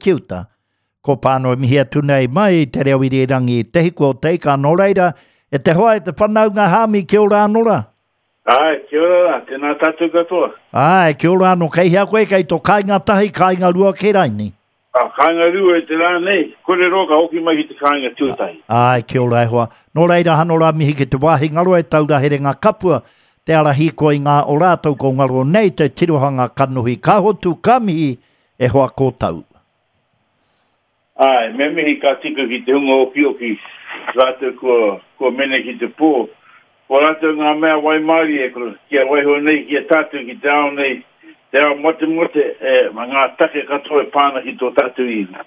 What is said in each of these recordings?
ki uta. Ko Pāno e mihi atu nei mai i te reo irirangi Te Hiku o Te Ika. Nō reira, e te hoa e te whanaunga Hāmi, kia ora anō rā. Āe, kia ora rā, tēnā tātou katoa. Āe, kia ora anō, kei hea koe, kei tō kāinga tahi, kāinga rua kē raini? Ka kāinga rua i te rā nei, kore roa ka hoki mai ki te kāinga tuatahi. Āe, kia ora e hoa. Nō reira, hano rā mihi ki te wāhi ngaro e taura herenga kapua, te ara hīkoi ngā o rātou ko ngaro nei te tirohanga kanohi ka hotu ka mihi e hoa kōtau. Āe, me mihi ka tika ki te hunga okioki, rātou kua, kua mene ki te pō. Ko rātou ngā mea waimārie kia waiho nei ki a tātou ki te ao nei, te ao motemote, e, ngā take katoa e pā ana ki tō tātou iwi.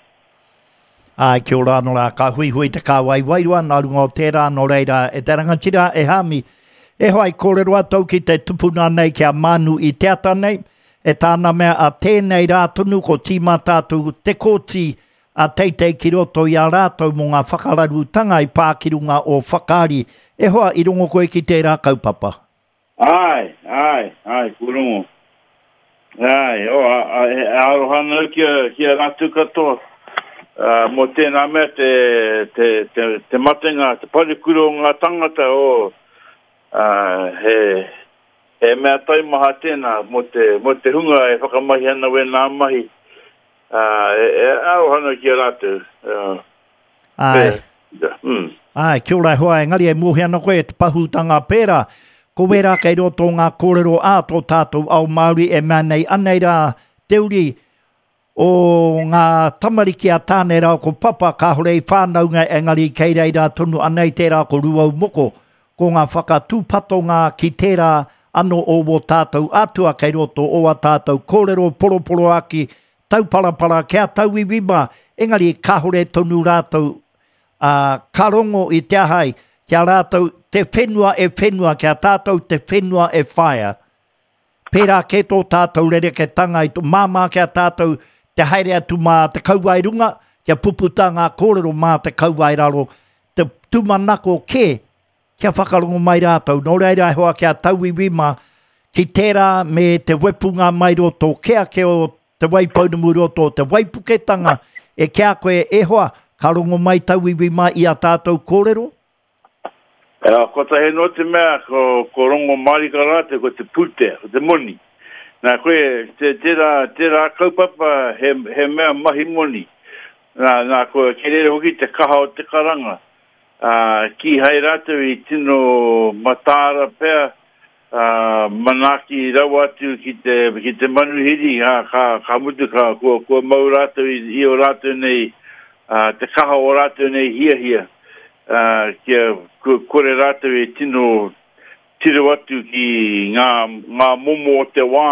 Āe, kia ora anō rā, ka huihui te kāwai wairua nā runga o tērā, nō reira, e te rangatira, e Hāmi, e hoa i kōrero atu au ki te tupuna nei ki a Mānu i te ata nei, E tāna mea a tēnei rā tonu ko tīmata atu te kōti a Teitei ki roto i a rātou mō ngā whakararutanga i pā ki runga o Whakaari. E hoa, i rongo koe ki tērā kaupapa? Āe, āe, āe, kua rongo. Āe, oh, a, a, e aroha ana au ki a, ki a rātou katoa. Uh, mō tēnā mea te, te, te, te matenga, te parekura o ngā tangata, oh, uh, he, He mea taumaha tēnā mō te, mō te hunga e whakamahi ana wēnā mahi, ā, e, e aroha ana ki a rātou. Ā, Āe. e, mm. Āe, kia ora e hoa, engari e mōhio ana koe e te pahūtanga pērā, ko wērā kei roto o ngā kōrero ā tō tātou ao Māori e mea nei anei rā te uri O ngā tamariki a Tāne rāua ko Papa, kāore i whānaunga engari kei reira tonu anei tērā ko Rūaumoko. Ko ngā whakatūpatonga ki tērā ano o wō tātou atua kei roto o a tātou kōrero poroporoaki tauparapara ki a tauiwi mā, engari kāore tonu rātou ā, ka rongo i te aha ai, ki a rātou te whenua e whenua, ki a tātou te whenua e whaea. Pērā kē tō tātou rereketanga i tō māmā ki a tātou te haere atu mā te kauae runga, kia puputa ngā kōrero mā te kauae raro, te tūmanako kē kia whakarongo mai rātou. Nō reira e hoa ki a tauiwi mā, ki tērā me te wepunga mai roto kē ake o Te Waipounamu roto o te waipuketanga, e ki a koe e hoa, ka rongo mai tauiwi mā i a tātou kōrero? Ā, kotahi anō te mea, ko, ko rongo mārika rātou, ko te pūtea, ko te moni. Nā, koe, te, tērā, tērā kaupapa, he, he mea mahi moni. Nā, nā, ko, kei reira hoki te kaha o te karanga. Ā, kīhai rātou i tino mataara pea, ā, manaaki rawa atu ki te, ki te manuhiri, ā, ka, ka mutu, ka, kua, kua mau rātou i, i ō rātou nei, ā, te kaha o rātou nei hiahia, ā, kia kore rātou e tino tiro atu ki ngā, ngā momo o te wā,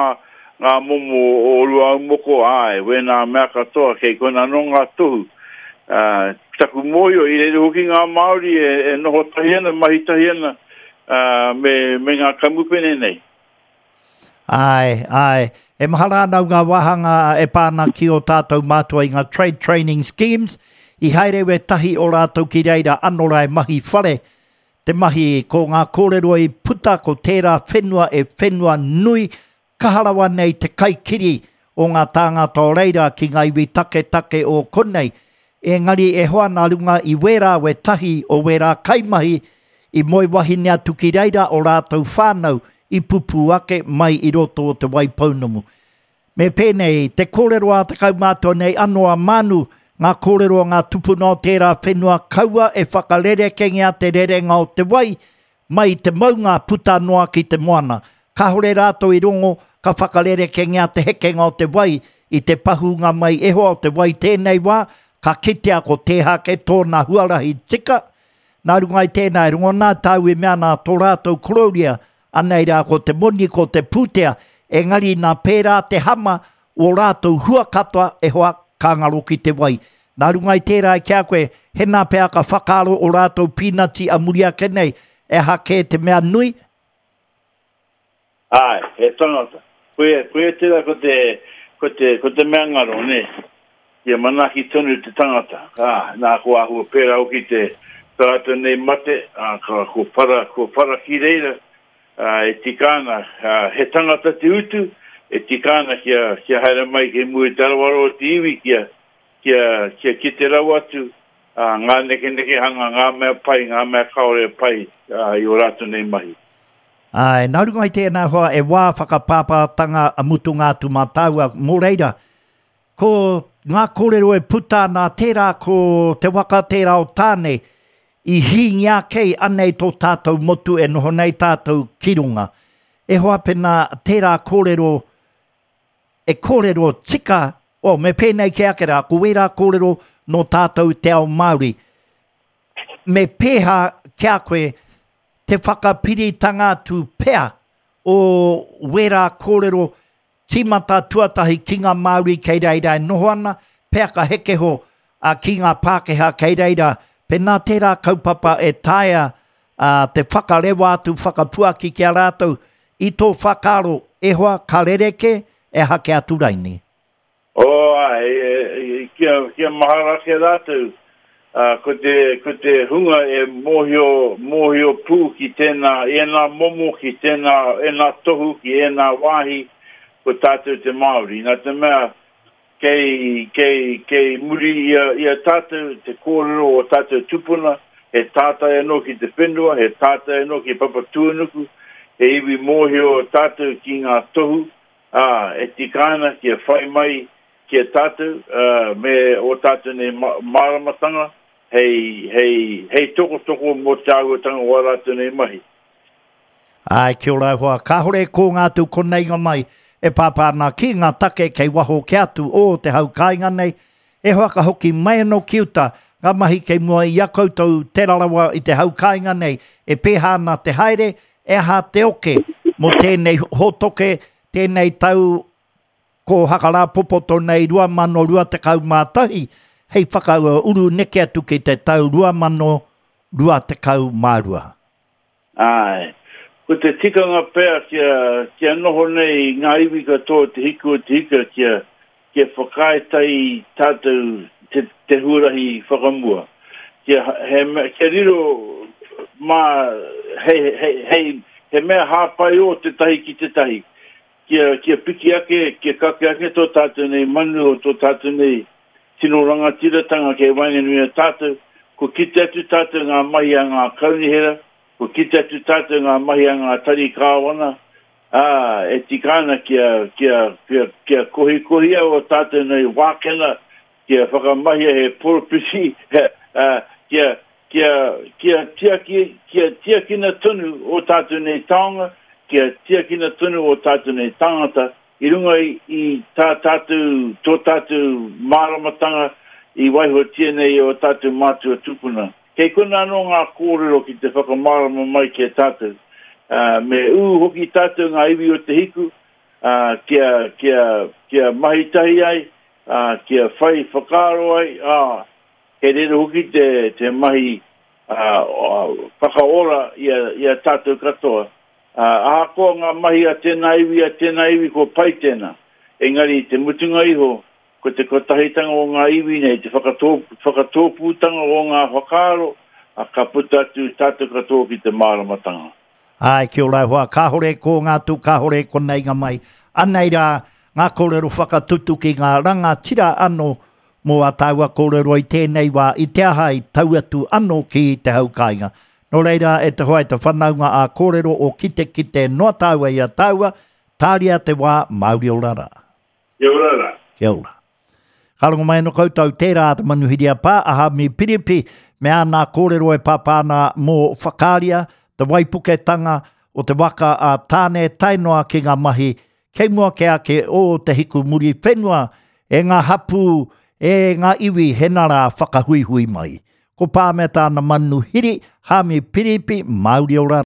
ngā momo o Ruaumoko, āe, wēnā mea katoa, kei konā anō ngā tohu. Ā, taku mōhio, i reira hoki ngā Māori e, e noho tahi ana, mahi tahi ana, ā, me, me ngā kamupene nei. Āe, āe. E mahara ana au ngā wāhanga e pā ana ki ō tātou mātua i ngā trade training schemes, i haere wētahi o rātou ki reira ano rā e mahi whare te mahi, ko ngā kōrero i puta ko tērā whenua e whenua nui kaha rawa nei te kaikiri o ngā tāngata o reira ki ngā iwi taketake o konei. Engari e hoa nā runga i wērā wētahi o wērā kaimahi i moe wahine atu ki reira o rātou whānau i pupū ake mai i roto o Te Waipounamu. Me pēnei te kōrero a te kaumātua nei anō a Manu, ngā kōrero a ngā tupuna o tērā whenua kaua e whakarerekengia te rerenga o te wai mai i te maunga puta noa ki te moana. Kāore rātou i rongo ka whakarerekengia te hekenga o te wai i te pahūnga mai e hoa o te wai tēnei wā, ka kitea ko Tēhake tōna huarahi tika. Nā runga i tēnā e rongo nā tāu e mea ana tō rātou korōria, anei rā ko te moni, ko te pūtea, engari nā pērā te hama o rātou hua katoa e hoa ka ngaro ki te wai. Nā runga i tērā ki a koe, hēnā pea ka whakaaro o rātou pīnati a muri ake nei, e aha kē te mea nui? Āe, he tangata. Koia, koia tērā ko te, ko te, ko te mea ngaro, nē. Kia manaaki tonu te tangata. Ā, nā, ko āhua pērā hoki te, tā rātou nei mate, ā, ka, ko whara, ko whara ki reira, ā, e tika ana, ā, he tangata te utu, e tika ana kia, kia haere mai kei mua i te aroaro o te iwi, kia. kia, kia kite rawa atu ngā nekenekehanga, ngā mea pai, ngā mea kāore e pai i ō rātou nei mahi. Āe, nā runga i tēnā hoa e wā whakapāpātanga mutunga atu mā tāua, mō reira, ko ngā kōrero e puta ana tērā ko te waka tērā o Tāne i hīngia ake anei tō tātou motu e noho nei tātou ki runga. E hoa pēnā tērā kōrero e kōrero tika, oh, me pēnei kē ake rā, ko wērā kōrero nō tātou te ao Māori. Me pēhā ki a koe te whakapiritanga atu pea o wērā kōrero tīmata tuatahi ki ngā Māori kei reira e noho ana, pea ka heke ho ki ngā Pākehā kei reira, pēnā tērā kaupapa e taea te whakarewa atu, whakapuaki ki a rātou i tō whakaaro, e hoa, ka rerekē, e aha kē atu raini? Oh, āe, kia, kia mahara ake rātou, ko te, ko te hunga e mōhio, mōhio pū ki tēnā, ēnā momo, ki tēnā, ēnā tohu, ki ēnā wāhi, ko tātou te Māori. Nā te mea, Kei, kei, kei muri i a, i a tātou te kōrero o tātou tupuna, he tātai anō ki te whenua, he tātai anō ki Papatūānuku, he iwi mōhio tātou ki ngā tohu, ā, e tika ana kia whai mai ki a tātou, ā, me ō tātou nei māramatanga hei, hei, hei tokotoko mō te āhuatanga o ā rātou nei mahi. Āe, kia ora e hoa. Kāhore e kōnga atu konei nga mai e pāpā ana ki ngā take kei waho kē atu o te hau kāinga nei. E hoa ka hoki mai anō ki uta ngā mahi kei mua i a koutou Te Rarawa i te hau kāinga nei e pēhā ana te haere, e aha te oke mō tēnei hōtoke, tēnei tau ko Hakarāpopoto nei 2021 hei whakauru neke atu ki te tau 2022. Āe. Ko te tikanga pea kia, kia noho nei ngā iwi katoa o Te Hiku o Te Ika kia, kia whakaae tahi tātou te, te huarahi whakamua. Kia, he mea, kia riro mā, hei, hei, hei, he mea hāpai ō tētahi ki tētahi. Kia, kia piki ake, kia kake ake tō tātou nei manu o tō tātou nei tino rangatiratanga kei waenganui i a tātou, kua kite atu tātou ngā mahi a ngā kaunihera, kua kite atu tātou ngā mahi a ngā tari kāwana, ā, e tika ana kia, kia, kia, kia kohikohia ō tātou nei wākena, kia whakamahia he poropiti, ā, kia, kia, kia tiaki, kia tiakina tonu ō tātou nei taonga, kia tiakina tonu ō tātou nei tāngata, I runga i tā tātou, tō tātou māramatanga i waihotia nei e ō tātou mātua tūpuna. Kei konā anō ngā kōrero ki te whakamārama mai ki a tātou. Ā, me ū hoki tātou ngā iwi o Te Hiku, ā, kia, kia, kia mahi tahi ai, ā, kia whai whakaaro ai, ā, kei reira hoki te, te mahi, ā, whakaora i a, i a tātou katoa. Ā, ahakoa ngā mahi a tēnā iwi, a tēnā iwi, kua pai tēnā. Engari, i te mutunga iho, ko te kotahitanga o ngā iwi nei, te whakatō, whakatōpūtanga o ngā whakaaro, ā, ka puta atu tātou katoa ki te māramatanga. Āe, kia ora e hoa, kāhore e kōnga atu, kāhore e konei ngā mai. Anei rā ngā kōrero whakatutuki, ngā rangatira anō mō ā tāua kōrero i tēnei wā, i te aha i tau atu anō ki te hau kāinga. Nō reira, e te hoa, e te whanaunga ā kōrero o kitekite noa tāua i a tāua, tāria te wā, Māori ora rā. Kia ora rā. Kia ora. Ka rongo mai anō koutou, tērā te manuhiri a Pā, a Hami Piripi, me āna kōrero e pāpā ana mō Whakaaria, te waipuketanga o te waka a Tāne tae noa ki ngā mahi kei mua kē ake o te hiku muri whenua e ngā hapū, e ngā iwi hena rā whakahuihui mai. Ko Pā me tāna manuhiri, Hami Piripi, Māori ora.